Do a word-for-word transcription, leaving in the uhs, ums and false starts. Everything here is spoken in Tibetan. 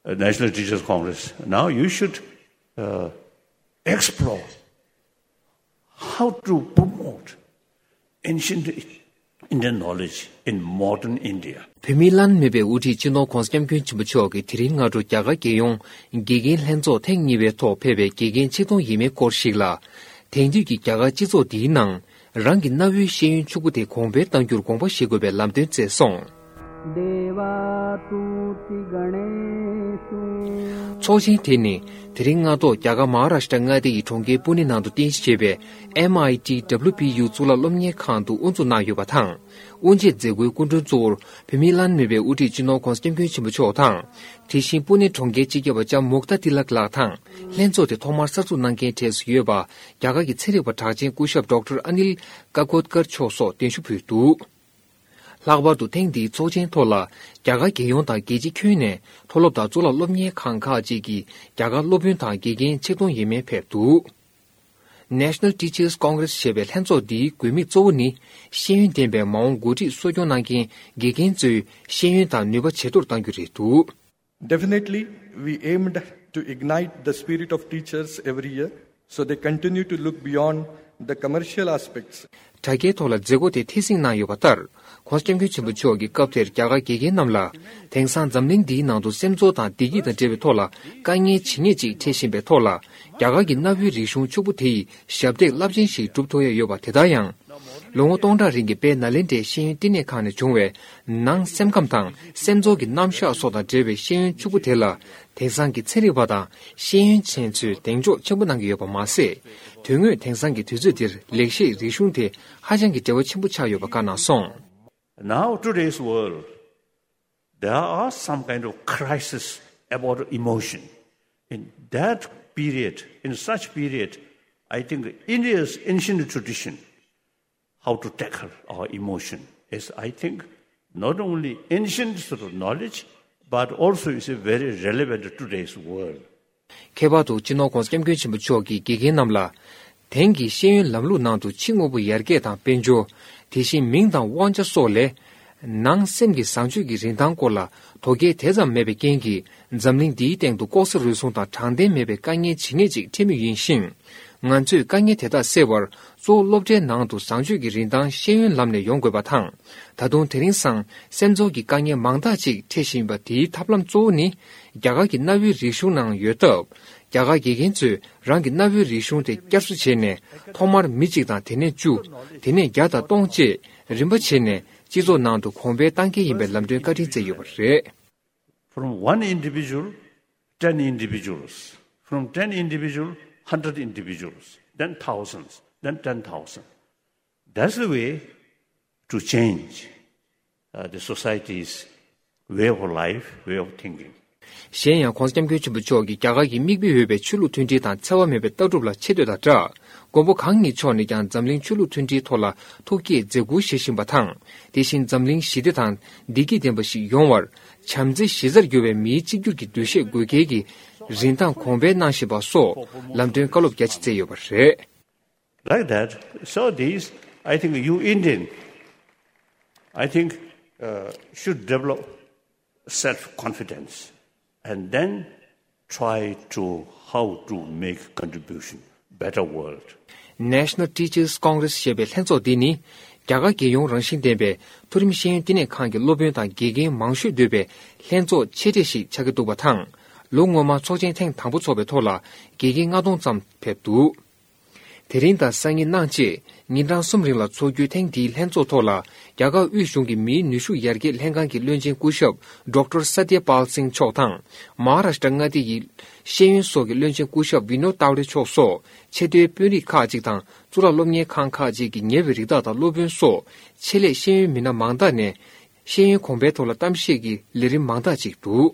uh, National Teachers Congress, now you should uh, explore how to promote ancient Indian knowledge in modern India. བོད་མིའི་བླ་ན་མེད་པའི་དབུ་ཁྲིད་སྤྱི་ནོར་༧གོང་ས་༧སྐྱབས་མགོན་ཆེན་པོ་མཆོག་གིས་དེ་རིང་སྔ་དྲོ་རྒྱ་གར་རྒྱལ་ཡོངས་དགེ་རྒན་ལྷན་ཚོགས་ཐེངས་གཉིས་པའི་ཐོག་ཕེབས་པའི་དགེ་རྒན་ཆིག་སྟོང་ཡས་མས་སྐོར་ཞིག་ལ། དེང་དུས་ཀྱི་རྒྱ་གར་སྤྱི་ཚོགས་འདིའི་ནང་རང་གི་གནའ་བོའི་ཤེས་ཡོན་ཕྱུག་པོ་དེ་གོང་འཕེལ་གཏང་རྒྱུར་དགོངས་པ་བཞེས་དགོས་པའི་ལམ་སྟོན་བསྩལ་སོང་། ཚོགས་ཆེན་དེ་ནི་དེ་རིང་སྔ་དྲོ་རྒྱ་གར་མ་ཧཱ་རཱ་ཤི་ཏྲ་མངའ་སྡེ་ཡི་གྲོང་ཁྱེར་པུ་ནེ་ནང་དུ་རྟེན་གཞི་བྱས་པའི་MIT WPU གཙུག་ལག་སློབ་གཉེར་ཁང་དུ་དབུ་འཛུགས་གནང་ཡོད་པ་དང་། དབུ་འབྱེད་མཛད་སྒོའི་སྐུ་མགྲོན་གཙོ་བོར་བོད་མིའི་བླ་ན་མེད་པའི་དབུ་ཁྲིད་སྤྱི་ནོར་༧གོང་ས་༧སྐྱབས་མགོན་ཆེན་པོ་མཆོག་དང་། དེ་བཞིན་པུ་ནེ་གྲོང་ཁྱེར་སྤྱི་ཁྱབ་པ་ལྕམ་མུག་ཏཱ་ཏི་ལག་ལགས་དང་། ལྷན་ཚོགས་དེ་ཐོག་མར་གསར་འཛུགས་གནང་མཁན་གྲས་སུ་ཡོད་པ་རྒྱ་གར་གྱི་ཚན་རིག་པ་གྲགས་ཅན་སྐུ་ཞབས་ཌོག་ཊར་ཨ་ནིལ་ཀ་ཀོད་ཀར་མཆོག་སོགས་གདན་ཞུ་ཕུལ་འདུག། ལྷག་པར་དུ་ཐེངས་འདིའི་ཚོགས་ཆེན་ཐོག་ལ་རྒྱ་གར་རྒྱལ་ཡོངས་དང་རྒྱལ་སྤྱི་ཁྱོན་ནས་མཐོ་སློབ་དང་གཙུག་ལག་སློབ་གཉེར་ཁང་ཁག་ཅིག་གི་རྒྱ་གར་སློབ་དཔོན་དང་དགེ་རྒན་ཆིག་སྟོང་ཡས་མས་ཕེབས་འདུག། National Teachers Congress ཞེས་པའི་ལྷན་ཚོགས་འདིའི་དགོས་དམིགས་གཙོ་བོ་ནི་ཤེས་ཡོན་ལྡན་པའི་མ་འོངས་འགོ་ཁྲིད་གསོ་སྐྱོང་གནང་མཁན་དགེ་རྒན་ཚོའི་ཤེས་ཡོན་དང་ནུས་པ་ཇེ་མཐོར་གཏང་རྒྱུ་རེད་འདུག། Definitely, we aimed to ignite the spirit of teachers every year so they continue to look beyond the commercial aspects. དྲ་རྒྱའི་ཐོག་ལ་མཛད་སྒོ་དེ་ཐད་གཟིགས་གནང་ཡོད་པ་ལྟར། ྋགོང་ས་ྋསྐྱབས་མགོན་ཆེན་པོ་མཆོག་གིས་སྐབས་དེར་རྒྱ་གར་དགེ་རྒན་རྣམས་ལ། དེང་སང་འཛམ་གླིང་འདིའི་ནང་དུ་སེམས་ཚོར་དང་བདེ་སྐྱིད་དང་འབྲེལ་བའི་ཐོག་ལ་དཀའ་ངལ་ཇི་སྙེད་ཅིག་འཕྲད་བཞིན་པའི་ཐོག་ལ། རྒྱ་གར་གྱི་གནའ་བོའི་རིག་གཞུང་ཕྱུག་པོ་དེ་ཡི་ཞབས་འདེགས་རླབས་ཆེན་ཞིག་སྒྲུབ་ཐུབ་ཡ་ཡོད་པ་དེ་ལྟར་ཡང་། ལོ་ངོ་སྟོང་ཕྲག་རིང་གི་དཔལ་ནཱ་ལེནྡྲའི་ཤེས་ཡོན་བསྟི་གནས་ཁང་ནས་བྱུང་བའི་ནང་སེམས་ཁམས་དང་སེམས་ཚོར་གྱི་རྣམ་གཞག་སོགས་དང་འབྲེལ་བའི་ཤེས་ཡོན་ཕྱུག་པོ་དེ་ལ། དེང་སང་གི་ཚན་རིག་པ་དང་ཤེས་ཡོན་ཅན་ཚོས་གདེང་འཇོག་ཆེན་པོ་གནང་གི་ཡོད་པ་མ་ཟད། དོན་དངོས་དེང་སང་གི་དུས་ཚོད་འདིར་ལེགས་བཤད་རིག་གཞུང་དེ་ཧ་ཅང་གི་འབྲེལ་བ་ཆེན་པོ་ཆགས་ཡོད་པ་བཀའ་གནང་སོང་། Now, today's world, there are some kind of crisis about emotion. In that period, in such period, I think India's ancient tradition, how to tackle our emotion, is, I think, not only ancient sort of knowledge, but also is very relevant to today's world. ཁྱད་པར་དུ་སྤྱི་ནོར་ྋགོང་ས་ྋསྐྱབས་མགོན་ཆེན་པོ་མཆོག་གིས་དགེ་རྒན་རྣམས་ལ། དེང་གི་ཤེས་ཡོན་ལམ་ལུགས་ནང་དུ་ཕྱི་དངོས་པོ་ཡར་རྒྱས་དང་དཔལ་འབྱོར། དེ་བཞིན་མིང་དང་དབང་ཆ་སོགས་ལས། ནང་སེམས་ཀྱི་བཟང་སྤྱོད་ཀྱི་རིན་ཐང་སྐོར་ལ་དོ་གལ་དེ་ཙམ་མེད་པའི་རྐྱེན་གྱིས། འཛམ་གླིང་འདིའི་སྟེང་དུ་ལྐོག་ཟ་རུལ་སུངས་དང་དྲང་བདེན་མེད་པའི་དཀའ་ངལ་ཇི་སྙེད་ཅིག་འཕྲད་མུས་ཡིན་ཞིང་། ང་ཚོས་དཀའ་ངལ་དེ་དག་སེལ་བར། གཙོ་བོ་སློབ་གྲྭའི་ནང་དུ་བཟང་སྤྱོད་ཀྱི་རིན་ཐང་ཤེས་ཡོན་ལམ་ནས་ཡོང་དགོས་པ་དང་། ད་དུང་དེ་རིང་སང་སེམས་ཚོར་གྱི་དཀའ་ངལ་མང་དག་ཅིག་འཕྲད་བཞིན་པ་དེའི་ཐབས་ལམ་གཙོ་བོ་ནི། རྒྱ་གར་གྱི་གནའ་བོའི་རིག་གཞུང་ནང་ཡོད་སྟབས། རྒྱ་གར་དགེ་རྒན་ཚོས་རང་གི་གནའ་བོའི་རིག་གཞུང་དེ་བསྐྱར་གསོ་བྱས་ནས། ཐོག་མར་མི་གཅིག་དང་དེ་ནས་བཅུ། དེ་ནས་བརྒྱ་དང་སྟོང་བཅས་རིམ་པ་བྱས་ནས་སྤྱི་ཚོགས་ནང་དུ་གོང་འཕེལ་གཏང་གལ་ཡིན་པའི་ལམ་སྟོན་བཀའ་དྲིན་བསྩལ་ཡོད་པ་རེད། From one individual, ten individuals. From ten individual, hundred individuals. Then thousands. Then ten thousand. That's the way to change uh, the society's way of life, way of thinking. གཞན་ཡང་ྋགོང་ས་ྋསྐྱབས་མགོན་ཆེན་པོ་མཆོག་གིས་རྒྱ་གར་གྱི་མིག་དཔེ་འོས་པའི་ཆོས་ལུགས་མཐུན་སྒྲིལ་དང་འཚེ་བ་མེད་པའི་ལྟ་གྲུབ་ལ་ཆེ་བསྟོད་དང་སྦྲགས། མགོན་པོ་གང་ཉིད་མཆོག་ནས་ཀྱང་འཛམ་གླིང་ཆོས་ལུགས་མཐུན་སྒྲིལ་ཐོག་ལ་ཐུགས་བསྐྱེད་མཛད་ཁུར་བཞེས་བཞིན་པ་དང་། དེ་བཞིན་འཛམ་གླིང་ཞི་བདེ་དང་བདེ་སྐྱིད་ལྡན་པ་ཞིག་ཡོང་བར། བྱམས་བརྩེ་གཞི་རྩར་གྱུར་བའི་མིའི་གཅིག་གྱུར་གྱི་འདུ་ཤེས་དགོས་གལ་གྱི་རིན་ཐང་གོང་འཕེལ་གནང་བཞིན་པ་སོགས་ལམ་སྟོན་བཀའ་སློབ་རྒྱ་ཆེ་བསྩལ་ཡོད་པ་རེད། Like that, so these, I think you Indian, I think, uh, should develop self-confidence and then try to how to make contribution, better world. National Teachers Congress ཞེས་པའི་ལྷན་ཚོགས་འདི་ནི། རྒྱ་གར་རྒྱལ་ཡོངས་རང་བཞིན་ལྡན་པའི་མཐོ་རིམ་ཤེས་ཡོན་བསྟི་གནས་ཁང་གི་སློབ་དཔོན་དང་དགེ་རྒན་མང་ཤོས་འདུས་པའི་ལྷན་ཚོགས་ཆེ་གྲས་ཤིག་ཆགས་ཀྱི་འདུག་པ་དང་། ལོ་སྔོན་མ་ཚོགས་ཆེན་ཐེངས་དང་པོ་འཚོགས་པའི་ཐོག་ལ་དགེ་རྒན་ལྔ་སྟོང་ཙམ་ཕེབས་འདུག། དེ་རིང་དང་སང་ཉིན་གནངས་བཅས་ཉིན་གྲངས་གསུམ་རིང་ལ་འཚོགས་རྒྱུའི་ཐེངས་འདིའི་ལྷན་ཚོགས་ཐོག་ལ། རྒྱ་གར་དབུས་གཞུང་གི་མིའི་ནུས་ཤུགས་ཡར་རྒྱས་ལྷན་ཁང་གི་བློན་ཆེན་སྐུ་ཞབས་ཌོག་ཊར་སཏྱ་པཱལ་སིང་མཆོག་དང་། མ་ཧཱ་རཱ་ཤི་ཏྲ་མངའ་སྡེ་ཡི་ཤེས་ཡོན་སོགས་ཀྱི་བློན་ཆེན་སྐུ་ཞབས་བི་ནོད་ཏཱའུ་རེ་མཆོག་སོགས་ཆེས་མཐོའི་དཔོན་རིགས་ཁག་ཅིག་དང་གཙུག་ལག་སློབ་གཉེར་ཁང་ཁག་ཅིག་གི་ཉེ་བའི་རིགས་བདག་དང་སློབ་དཔོན་སོགས་ཆེད་ལས་ཤེས་ཡོན་མི་སྣ་མང་དག་ནས་ཤེས་ཡོན་གོང་འཕེལ་ཐོག་ལ་གཏམ་བཤད་ཀྱི་ལས་རིམ་མང་དག་ཅིག་འདུག།